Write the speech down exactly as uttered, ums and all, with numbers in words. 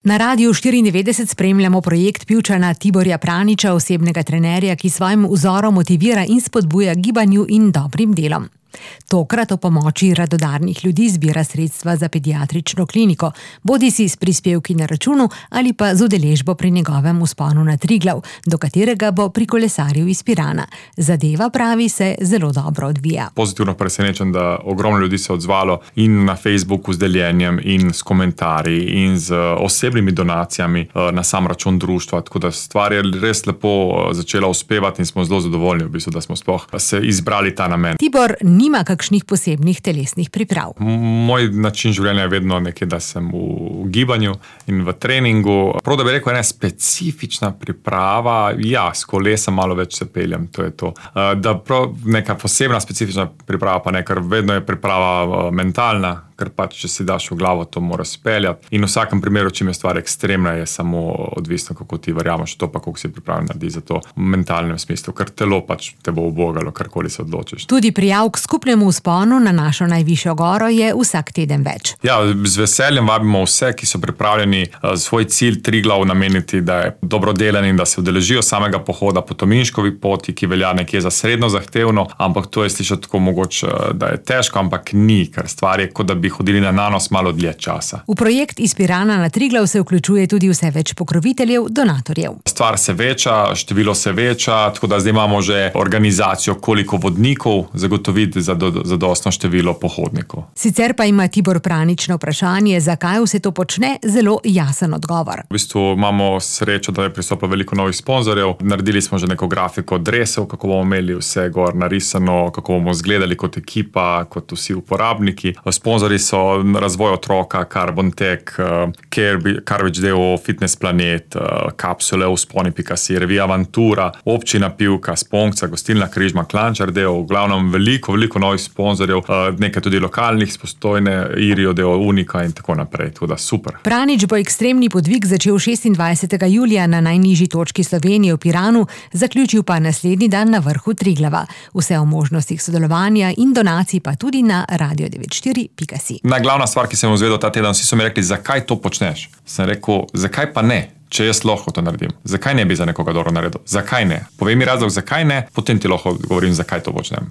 Na Radiu štiriindevetdeset spremljamo projekt Pivčana Tiborja Praniča, osebnega trenerja, ki svojim vzorom motivira in spodbuja gibanju in dobrim delom. Tokrat o pomoči radodarnih ljudi zbira sredstva za pediatrično kliniko, bodisi s prispevki na računu ali pa z udeležbo pri njegovem vzponu na Triglav, do katerega bo prikolesaril iz Pirana. Zadeva, pravi, se zelo dobro odvija. Pozitivno presenečen, da ogromno ljudi se odzvalo in na Facebooku z deljenjem in s komentarji in z osebnimi donacijami na sam račun društva, tako da stvar je res lepo začela uspevati in smo zelo zadovoljni, v bistvu, da smo sploh se izbrali ta namen. Tibor nima kakšnih posebnih telesnih priprav. Moj način življenja je vedno nekje, da sem v gibanju in v treningu. Prav, da bi rekel, ena specifična priprava, ja, s kolesa malo več se peljem, to je to. Da prav neka posebna specifična priprava pa ne, ker vedno je priprava mentalna, ker pač, če si daš v glavo, to mora speljati. In v vsakem primeru, čim je stvar ekstremna, je samo odvisno, kako ti verjameš to, pa koliko si pripravljen narediti za to v mentalnem smislu, ker telo pač te bo ubogalo, karkoli se odločiš. Tudi prijav k skupnemu vzponu na našo najvišjo goro je vsak teden več. Ja, z veseljem vabimo vse, ki so pripravljeni svoj cilj Triglav nameniti, da je dobrodelen in da se udeležijo samega pohoda po Tominškovi poti, ki velja nekje za srednjo zahtevno, ampak to je slišati tako mogoče, da je težko, ampak ni, ker stvar je, kot da bi hodili na nanos malo dlje časa. V projekt iz Pirana na Triglav se vključuje tudi vse več pokroviteljev, donatorjev. Stvar se veča, število se veča, tako da zdaj imamo že organizacijo, koliko vodnikov zagotoviti za zadostno število pohodnikov. Sicer pa ima Tibor Pranič na vprašanje, zakaj vse to počne, zelo jasen odgovor. V bistvu imamo srečo, da je pristopilo veliko novih sponzorjev. Naredili smo že neko grafiko dresov, kako bomo imeli vse gor narisano, kako bomo izgledali kot ekipa, kot vsi uporabniki. Sponzorji so Razvoj otroka, Carbon Tech, Carvič D O O, Fitness Planet, Kapsule, Vzponi pika si, Revija Avantura, Občina Pivka, Sponkca, Gostilna Križma, Klančar D O O, v glavnem veliko, veliko novih sponzorjev, nekaj tudi lokalnih, Postojne, Irio D O O, Unika in tako naprej, tako da super. Pranič bo ekstremni podvig začel šestindvajsetega julija na najnižji točki Slovenije v Piranu, zaključil pa naslednji dan na vrhu Triglava. Vse o možnostih sodelovanja in donacij pa tudi na radio devet štiri pika si. Najglavna stvar, ki sem izvedel ta teden, vsi so mi rekli, zakaj to počneš? Sem rekel, zakaj pa ne, če jaz lahko to naredim? Zakaj ne bi za nekoga dobro naredil? Zakaj ne? Povej mi razlog, zakaj ne, potem ti lahko govorim, zakaj to počnem.